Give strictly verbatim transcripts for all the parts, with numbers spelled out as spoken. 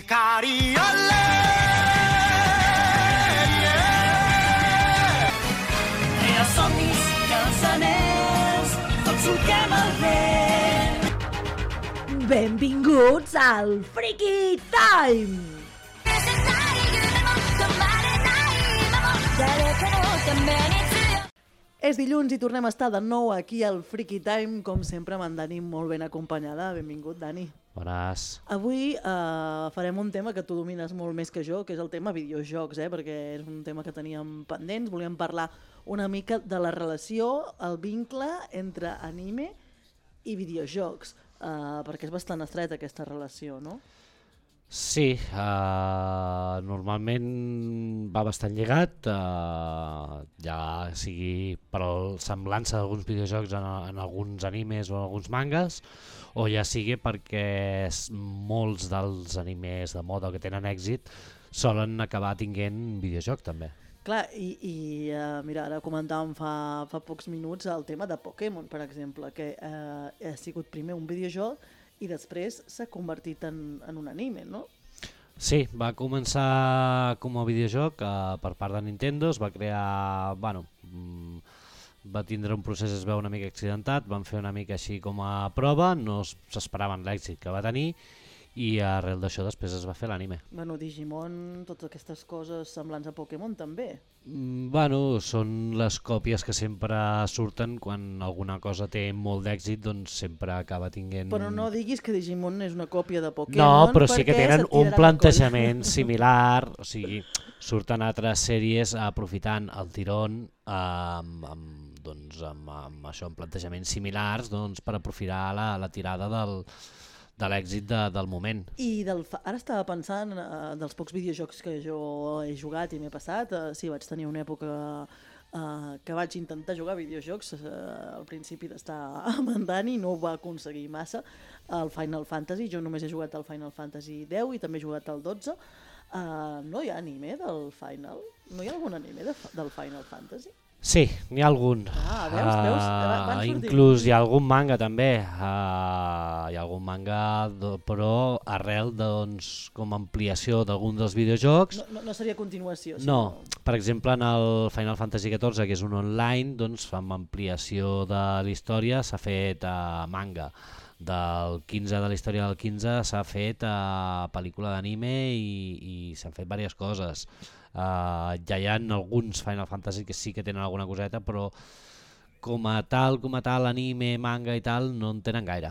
Hikari ole, yeah. Rere somnis, cançoners, tots solquem el vent. Benvinguts al Freaky Time! És dilluns i tornem a estar de nou aquí al Freaky Time, com sempre amb en Dani molt ben acompanyada. Benvingut, Dani. Bones. Avui uh, farem un tema que tu domines molt més que jo, que és el tema videojocs, eh? Perquè és un tema que teníem pendents. Volíem parlar una mica de la relació, el vincle entre anime i videojocs, uh, perquè és bastant estreta aquesta relació, no? Sí, uh, normalment va bastant lligat, uh, ja sigui per la semblança d'alguns videojocs en, en alguns animes o en alguns mangas, o ja sigui perquè molts dels animes de moda que tenen èxit solen acabar tinguent videojoc també. Clar, i, i uh, mira, ara comentàvem fa, fa pocs minuts el tema de Pokémon, per exemple, que uh, ha sigut primer un videojoc i després s'ha convertit en, en un anime, no? Sí, va començar com a videojoc uh, per part de Nintendo, es va crear, bueno, mm, va tindre un procés, es veu una mica accidentat, van fer una mica així com a prova, no s'esperaven l'èxit que va tenir i arrel d'això després es va fer l'anime. Bueno, Digimon, totes aquestes coses semblants a Pokémon també. Mm, bueno, són les còpies que sempre surten quan alguna cosa té molt d'èxit, doncs sempre acaba tinguent... Però no diguis que Digimon és una còpia de Pokémon. No, però sí que perquè tenen se't tiraran un al plantejament similar, o sigui, surten altres sèries aprofitant el tirón amb, amb, doncs, amb, amb això, amb plantejaments similars, doncs, per aprofitar la, la tirada del... de l'èxit de, del moment. I del fa... ara estava pensant eh, dels pocs videojocs que jo he jugat i m'he passat. Eh, sí, vaig tenir una època eh, que vaig intentar jugar videojocs eh, al principi d'estar amb en Dani, no ho va aconseguir massa. El Final Fantasy, jo només he jugat al Final Fantasy deu i també he jugat al dotze. Eh, no hi ha anime del Final? No hi ha algun anime de, del Final Fantasy? Sí, n'hi ha algun. Ah, veus, veus? Van Uh, sortir. inclús hi ha algun manga també, uh, hi ha algun manga do, però arrel doncs, com a ampliació d'algun dels videojocs. No, no, no seria continuació. No, Sinó... per exemple en el Final Fantasy catorze, que és un online, doncs amb ampliació de la història s'ha fet uh, manga. Del quinze, de la història del quinze, s'ha fet uh, pel·lícula d'anime i, i s'han fet diverses coses. Uh, ja hi ha alguns Final Fantasy que sí que tenen alguna coseta, però com a tal, com a tal, anime, manga i tal, no en tenen gaire.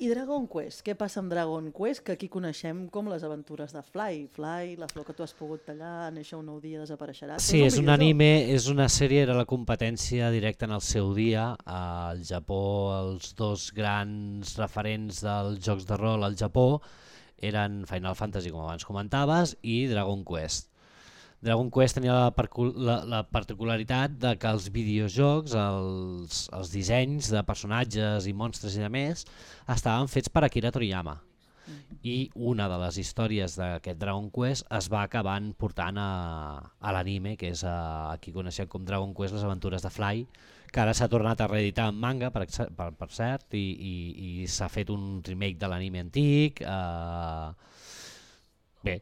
I Dragon Quest, què passa amb Dragon Quest? Que aquí coneixem com les aventures de Fly. Fly, la flor que tu has pogut tallar, néixer un nou dia, desapareixerà. Sí, és un, videojoc. anime, és una sèrie, era la competència directa en el seu dia. Al Japó, els dos grans referents dels jocs de rol al Japó eren Final Fantasy, com abans comentaves, i Dragon Quest. Dragon Quest tenia la, la, la particularitat de que els videojocs, els, els dissenys de personatges i monstres i de més, estaven fets per Akira Toriyama. I una de les històries d'aquest Dragon Quest es va acabant portant a, a l'anime, que és a, aquí coneixem com Dragon Quest, les aventures de Fly, que ara s'ha tornat a reeditar en manga, per, per, per cert, i, i, i s'ha fet un remake de l'anime antic. Eh, bé,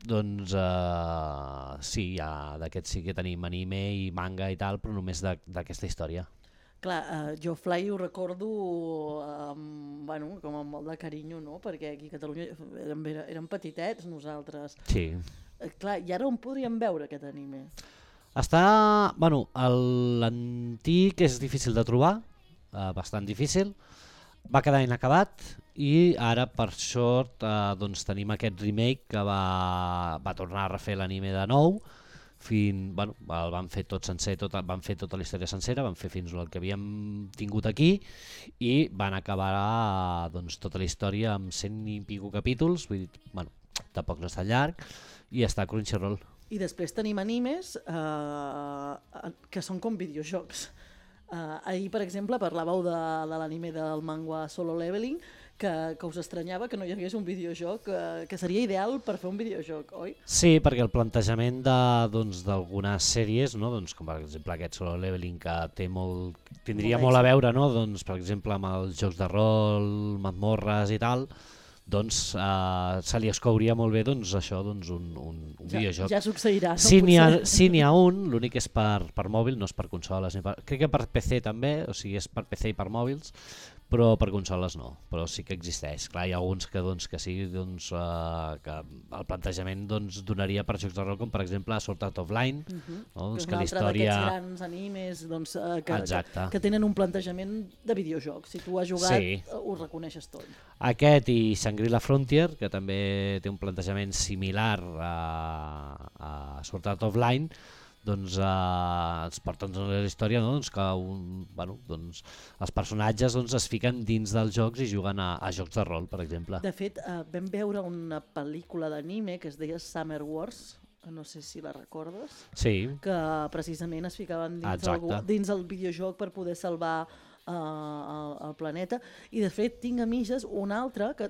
doncs uh, sí, ja, d'aquest sí que tenim anime i manga i tal, però només d'aquesta història. Clar, uh, jo Fly ho recordo um, bueno, com amb molt de carinyo, no? Perquè aquí a Catalunya érem, érem petitets nosaltres. Sí. Uh, clar, i ara on podríem veure aquest anime? Està, bueno, l'antic és difícil de trobar, uh, bastant difícil, va quedar inacabat i ara per sort eh, doncs tenim aquest remake que va, va tornar a refer l'anime de nou, fin, bueno, el van fer tot sencer, tot, van fer tota la història sencera, van fer fins al que havíem tingut aquí i van acabar eh, doncs, tota la història amb cent i pico capítols, vull dir, bueno, tampoc no està llarg, i està a Crunchyroll. I després tenim animes eh, que són com videojocs. Uh, ahir, per exemple, parlàveu de, de l'anime del manga Solo Leveling, que, que us estranyava que no hi hagués un videojoc, uh, que seria ideal per fer un videojoc, oi? Sí, perquè el plantejament d'algunes doncs, sèries, no? Doncs, com per exemple aquest Solo Leveling, que té molt, tindria molt, molt a veure, no? Doncs, per exemple, amb els jocs de rol, mazmorres i tal, doncs uh, se li escouria molt bé doncs, això, doncs, un, un, un ja, videojoc. Ja succeirà. No? Si n'hi ha, si n'hi ha un, l'únic és per, per mòbil, no és per consoles. Ni per, crec que per P C també, o sigui, és per P C i per mòbils, però per consoles no, però sí que existeix. Clar, hi ha alguns que, doncs, que sí, doncs, uh, que el plantejament doncs, donaria per jocs de rol, com per exemple Sword Art Online, uh -huh. no? doncs, que que és un altre història... d'aquests grans animes doncs, uh, que, Exacte. que, que tenen un plantejament de videojoc. Si tu has jugat, Sí. uh, ho reconeixes tot. Aquest i Shangri-La Frontier, que també té un plantejament similar a, a Sword Art Online, doncs eh, ens porten a la història, no? doncs que un, bueno, doncs, els personatges doncs, es fiquen dins dels jocs i juguen a, a jocs de rol, per exemple. De fet, uh, vam veure una pel·lícula d'anime que es deia Summer Wars, no sé si la recordes, Sí, que precisament es ficaven dins, el, dins el videojoc per poder salvar uh, el, el planeta. I de fet tinc a mitges un altre que,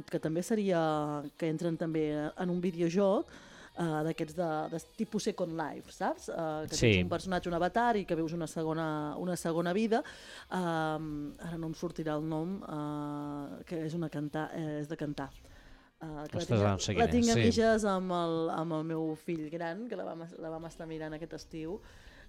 que també seria, que entren també en un videojoc, Uh, d'aquests de, de tipus Second Life, saps? Uh, que sí. tens un personatge, un avatar, i que veus una segona, una segona vida. Uh, ara no em sortirà el nom, uh, que és, una canta, eh, és de cantar. Uh, que Ostres, la tinc, no sé la quin és, tinc a sí. mitges amb el, amb el meu fill gran, que la vam, la vam estar mirant aquest estiu,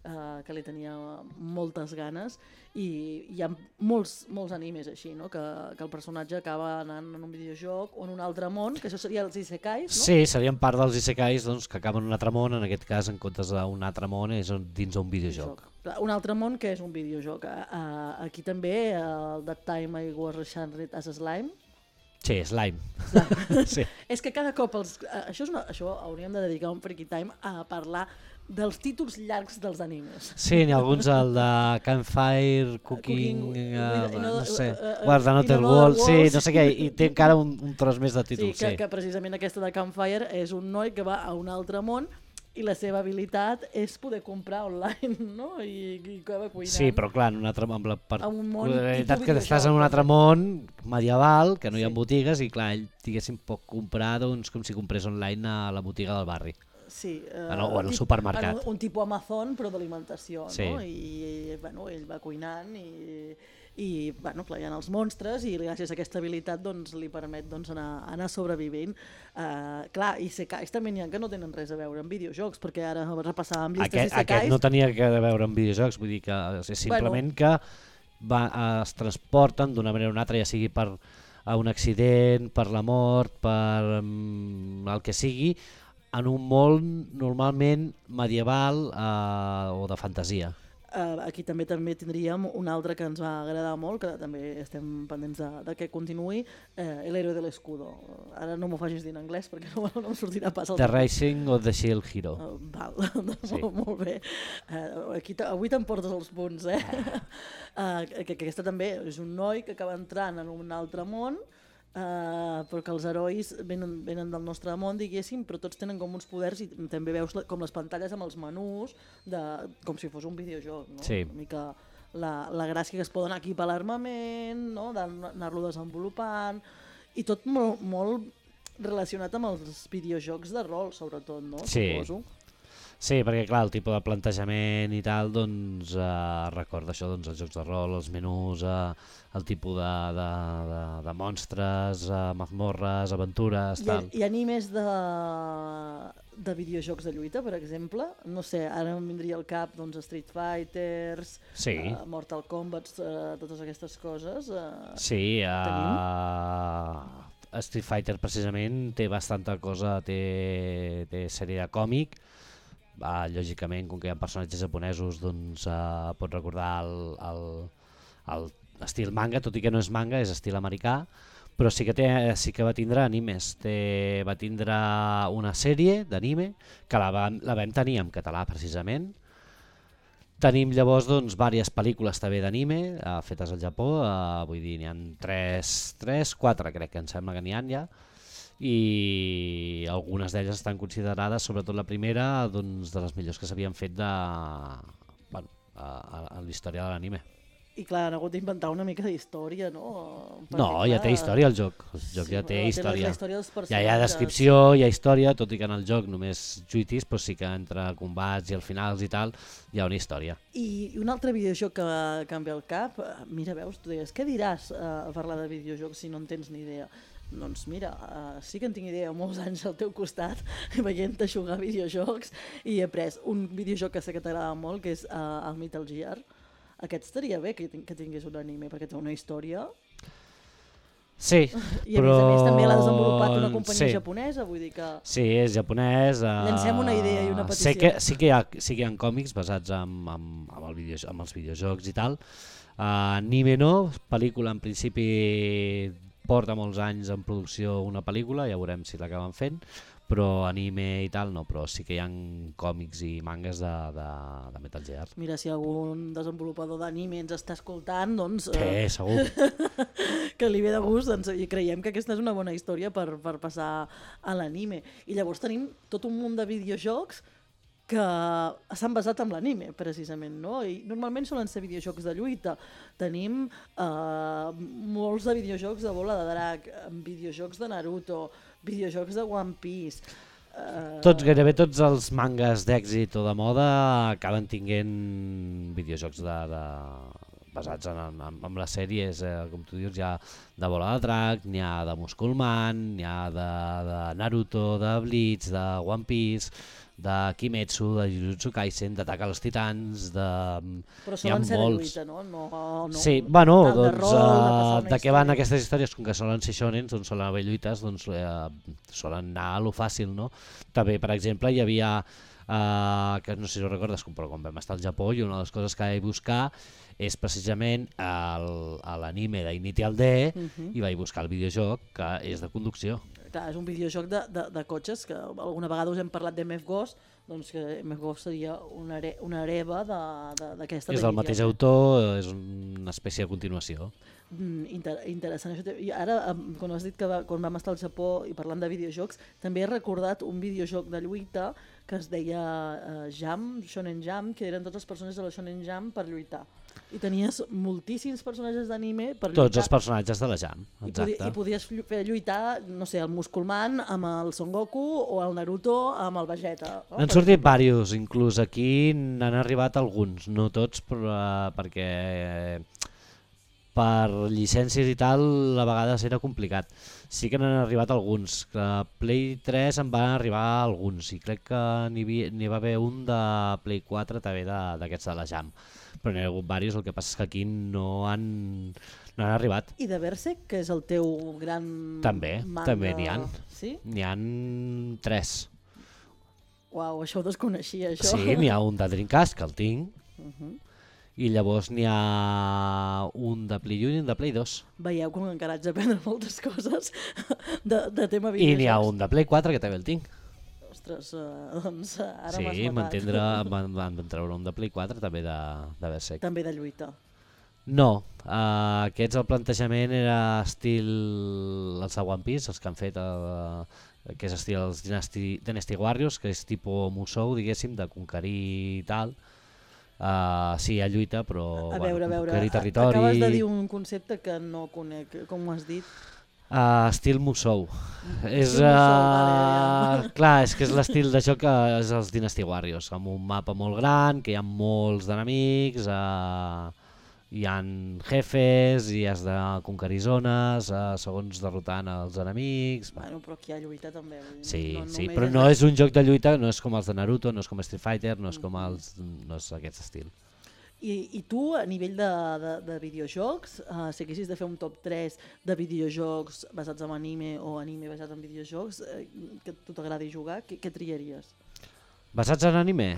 Uh, que li tenia moltes ganes, i hi ha molts, molts animes així, no? que, que el personatge acaba anant en un videojoc o en un altre món, que això seria els isekais, no? Sí, serien part dels isekais doncs, que acaben en un altre món, en aquest cas en comptes d'un altre món és dins d'un videojoc. Un altre món que és un videojoc. Uh, aquí també, el That Time I Was Enchanted as a Slime. Sí, Slime. Sí. És que cada cop, els, uh, això, és una, això hauríem de dedicar un Freaky Time a parlar dels títols llargs dels animes. Sí, n'hi ha alguns, el de Campfire, Cooking, Cooking uh, no sé, uh, uh, Guarda Another World, sí, no sé què, i té encara un, un tros més de títols. Sí, que, sí. que precisament aquesta de Campfire és un noi que va a un altre món i la seva habilitat és poder comprar online, no? I, i que va cuinant. Sí, però clar, en un altre, amb la particularitat que estàs en un altre món medieval, que no hi ha Sí. botigues, i clar, ell diguéssim pot comprar doncs, com si comprés online a la botiga del barri. Sí, eh, Ah, no, o en el supermercat. Un, un tipus Amazon, però d'alimentació, Sí. no? I, bueno, ell va cuinant i, i bueno, clar, hi ha els monstres i gràcies a aquesta habilitat doncs, li permet doncs, anar, anar sobrevivint. Uh, clar, isekais també n'hi ha que no tenen res a veure amb videojocs, perquè ara repassàvem llistes Aquest, d'isekais. aquest no tenia que veure amb videojocs, vull dir que és simplement bueno. que va, es transporten d'una manera o una altra, ja sigui per a un accident, per la mort, per um, el que sigui, en un món normalment medieval uh, o de fantasia. Uh, aquí també també tindríem un altre que ens va agradar molt, que també estem pendents de, de que continuï, eh, El héroe de l'escudo. Ara no m'ho facis dir en anglès perquè no, no em sortirà pas el... The Rising of the Shield Hero. Uh, val, Sí. molt, molt bé. Uh, aquí avui t'emportes els punts, eh? Uh, que, que aquesta també és un noi que acaba entrant en un altre món, Uh, però que els herois venen, venen del nostre món, diguéssim, però tots tenen com uns poders i també veus la, com les pantalles amb els menús, de, com si fos un videojoc, no? Sí. Una mica la, la gràcia que es poden equipar l'armament, no? D'anar-lo desenvolupant, i tot molt, molt relacionat amb els videojocs de rol, sobretot, no? Sí. Suposo. Sí, perquè clar, el tipus de plantejament i tal, doncs eh, recorda això, doncs, els jocs de rol, els menús, eh, el tipus de, de, de, de monstres, eh, mazmorres, aventures, I, tal. I animes de, de videojocs de lluita, per exemple, no sé, ara em vindria al cap doncs, Street Fighters, Sí. uh, Mortal Kombat, uh, totes aquestes coses. Uh, Sí, uh, Street Fighter precisament té bastanta cosa, té, té sèrie de còmic, uh, lògicament, com que hi ha personatges japonesos, doncs uh, pot recordar el, el, el estil manga, tot i que no és manga, és estil americà, però sí que, té, sí que va tindre animes, té, va tindre una sèrie d'anime que la vam, la vam tenir en català precisament. Tenim llavors doncs, diverses pel·lícules també d'anime eh, fetes al Japó, eh, vull dir, n'hi ha tres, tres, quatre crec que em sembla que n'hi ha ja, i algunes d'elles estan considerades, sobretot la primera, doncs, de les millors que s'havien fet de, bueno, a, a, a la història de l'anime. I clar, han hagut d'inventar una mica d'història, no? Perquè, No, ja clar, té història el joc, el joc sí, ja té la- història. La història dels Ja personatges. hi ha descripció, hi ha història, tot i que en el joc només lluitis, però sí que entre combats i al finals i tal hi ha una història. I un altre videojoc que, que em ve al cap, eh, mira, veus, tu deies, què diràs eh, a parlar de videojocs si no en tens ni idea? Doncs mira, uh, sí que en tinc idea molts anys al teu costat, veient-te jugar a videojocs, i he après un videojoc que sé que t'agrada molt, que és uh, el Metal Gear. Aquest estaria bé que, que tingués un anime, perquè té una història. Sí, I a però... més a més també l'ha desenvolupat una companyia sí. japonesa, vull dir que... Sí, és japonès. Uh, Llancem una idea i una petició. Sé que, sí, que hi ha, sí que hi ha còmics basats en, en, en, el video, en els videojocs i tal. Uh, anime no, pel·lícula en principi porta molts anys en producció una pel·lícula, ja veurem si l'acaben fent, però anime i tal no, però sí que hi ha còmics i mangas de, de, de Metal Gear. Mira, si algun desenvolupador d'anime ens està escoltant, doncs... Sí, eh, segur. que li ve de gust, doncs, i creiem que aquesta és una bona història per, per passar a l'anime. I llavors tenim tot un munt de videojocs que s'han basat en l'anime, precisament, no? I normalment solen ser videojocs de lluita. Tenim eh, molts de videojocs de bola de drac, videojocs de Naruto, videojocs de One Piece... Uh... Tots, gairebé tots els mangas d'èxit o de moda acaben tinguent videojocs de, de, basats en, en, en les sèries, eh, com tu dius, hi ha de Bola de Drac, n'hi ha de Musculman, n'hi ha de, de Naruto, de Bleach, de One Piece, de Kimetsu, de Jujutsu Kaisen, d'Atac als Titans, de... Però solen ser de lluita, no? no, no sí, bueno, de doncs, rol, uh, de, de què van aquestes històries? Com que solen ser shonens, doncs solen haver lluites, doncs eh, solen anar a lo fàcil, no? També, per exemple, hi havia, uh, que no sé si ho recordes, però quan vam estar al Japó, i una de les coses que vaig buscar és precisament l'anime d'Initial D, uh-huh. i vaig buscar el videojoc que és de conducció. Clar, és un videojoc de, de, de cotxes, que alguna vegada us hem parlat d'M F Ghost, doncs que M F Ghost seria una, are, una hereva d'aquesta... És del mateix autor, és una espècie de continuació. Mm, inter, interessant. I ara, quan has dit que va, quan vam estar al Japó i parlant de videojocs, també he recordat un videojoc de lluita que es deia uh, Jam, Shonen Jam, que eren tots els personatges de la Shonen Jam per lluitar. I tenies moltíssims personatges d'anime per lluitar. Tots els personatges de la Jam, exacte. I, podi, i podies fer lluitar, no sé, el Musculman amb el Son Goku o el Naruto amb el Vegeta. No? N'han sortit diversos, inclús aquí n'han arribat alguns, no tots, però, uh, perquè per llicències i tal a vegades era complicat. Sí que n'han arribat alguns, que a Play tres en van arribar alguns, i crec que n'hi va haver un de Play quatre també d'aquests de, de la Jam. Però n'hi ha hagut diversos, el que passa és que aquí no han, no han arribat. I de Berserk, que és el teu gran també, manga... També n'hi ha. Sí? N'hi ha tres. Uau, això ho desconeixia, això. Sí, n'hi ha un de Dreamcast, que el tinc, uh-huh. i llavors n'hi ha un de Play un i un de Play dos. Veieu com encara haig d'aprendre moltes coses de, de tema videojocs. I n'hi ha un de Play quatre, que també el tinc. Ostres, uh, doncs ara sí, m'has matat. van, van treure un de Play quatre també de, de Berserk. També de lluita. No, uh, aquests el plantejament era estil els de One Piece, els que han fet el, que és estil els Dynasty, Dynasty Warriors, que és tipus Musou, diguéssim, de conquerir i tal. Uh, sí, hi ha lluita, però a veure, bueno, a veure, conquerir territori... Acabes de dir un concepte que no conec, com ho has dit? Uh, estil Musou. És, Musou, uh, vale, ja. Clar, és que és l'estil de joc que és els Dynasty Warriors, amb un mapa molt gran, que hi ha molts d'enemics, uh, hi ha jefes i has de conquerir zones uh, segons derrotant els enemics. Bueno, però aquí hi ha lluita també. Sí, no, no sí, però no és un joc de lluita, no és com els de Naruto, no és com Street Fighter, no és com els, no és aquest estil. I, I tu, a nivell de, de, de videojocs, uh, si haguessis de fer un top tres de videojocs basats en anime o anime basats en videojocs, eh, que a tu t'agradi jugar, què, què triaries? Basats en anime?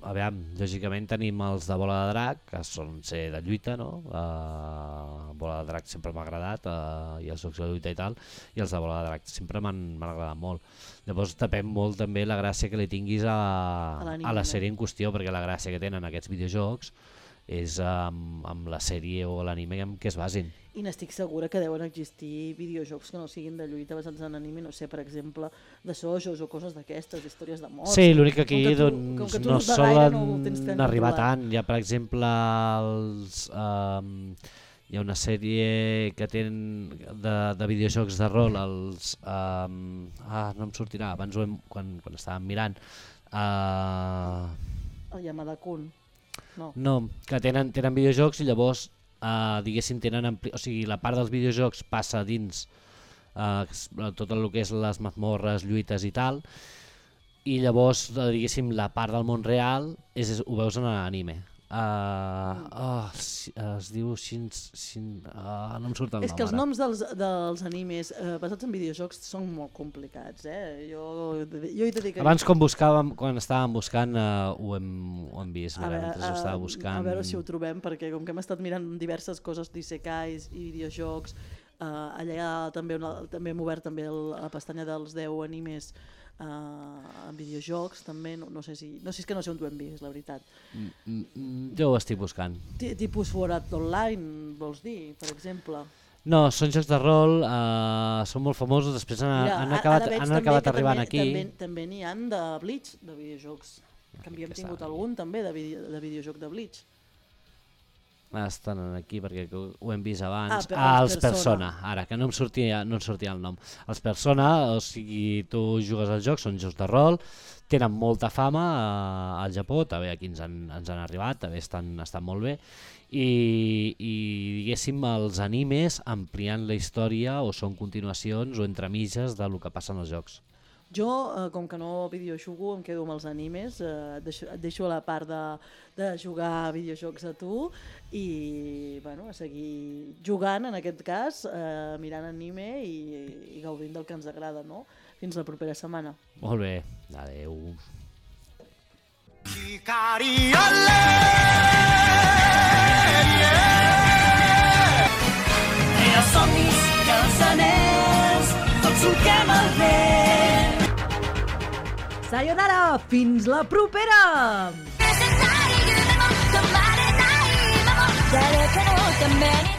A veure, lògicament tenim els de Bola de Drac, que són ser de lluita, no? Uh, Bola de Drac sempre m'ha agradat, uh, i els jocs de lluita i tal, i els de Bola de Drac sempre m'han agradat molt. Llavors depèn molt també la gràcia que li tinguis a, a, a la sèrie en qüestió, perquè la gràcia que tenen aquests videojocs és amb, amb la sèrie o l'anime en què es basin. I n'estic segura que deuen existir videojocs que no siguin de lluita basats en anime, no sé, per exemple, de sojos o coses d'aquestes, històries de morts. Sí, l'únic que aquí tu, doncs, que no solen no arribar tant. Hi ha, per exemple, els, um, hi ha una sèrie que tenen de, de videojocs de rol, els... Um, ah, no em sortirà, abans ho hem, quan, quan estàvem mirant. Uh, El Yamada-kun. No. no, que tenen, tenen videojocs i llavors, uh, diguéssim, tenen ampli... o sigui, la part dels videojocs passa dins uh, tot el que és les mazmorres, lluites i tal, i llavors, diguéssim, la part del món real és, és, ho veus en l'anime. Uh, oh, si, uh, es diu Shin, Shin, uh, no em surt el nom. És que els ara. noms dels, dels animes uh, basats en videojocs són molt complicats, eh? Jo, jo hi dedicaria... Abans, quan buscàvem, quan estàvem buscant, uh, ho, hem, ho hem vist, a, mira, veure, mentre ho estava buscant. A veure si ho trobem, perquè com que hem estat mirant diverses coses d'isekais i videojocs, uh, allà també, una, també hem obert també el, la pestanya dels deu animes Uh, en videojocs també, no, no sé si no sé si és que no sé on ho hem vist, la veritat. Mm, mm, jo ho estic buscant. T Tipus Sword Art Online, vols dir, per exemple? No, són jocs de rol, uh, són molt famosos, després han, Mira, han acabat, han acabat arribant també, aquí. També, també n'hi han de Bleach, de videojocs, que havíem tingut algun també de, video, de videojoc de Bleach. Estan aquí perquè ho hem vist abans. Ah, per, ah, els Persona. Persona, ara, que no em sortia, no em sortia el nom. Els Persona, o sigui, tu jugues al joc, són jocs de rol, tenen molta fama uh, al Japó, també aquí ens han, ens han arribat, també estan, estan molt bé, i, i diguéssim els animes ampliant la història o són continuacions o entremitges del que passa en els jocs. Jo, eh, com que no videojugo, em quedo amb els animes, eh, et, deixo, et deixo la part de, de jugar a videojocs a tu i bueno, a seguir jugant, en aquest cas, eh, mirant anime i, i gaudint del que ens agrada, no? Fins la propera setmana. Molt bé, adeu. Hikari ole, yeah. Els somnis i els anells, tots solquem el vent. Sayonara! Fins la propera! 誰かのために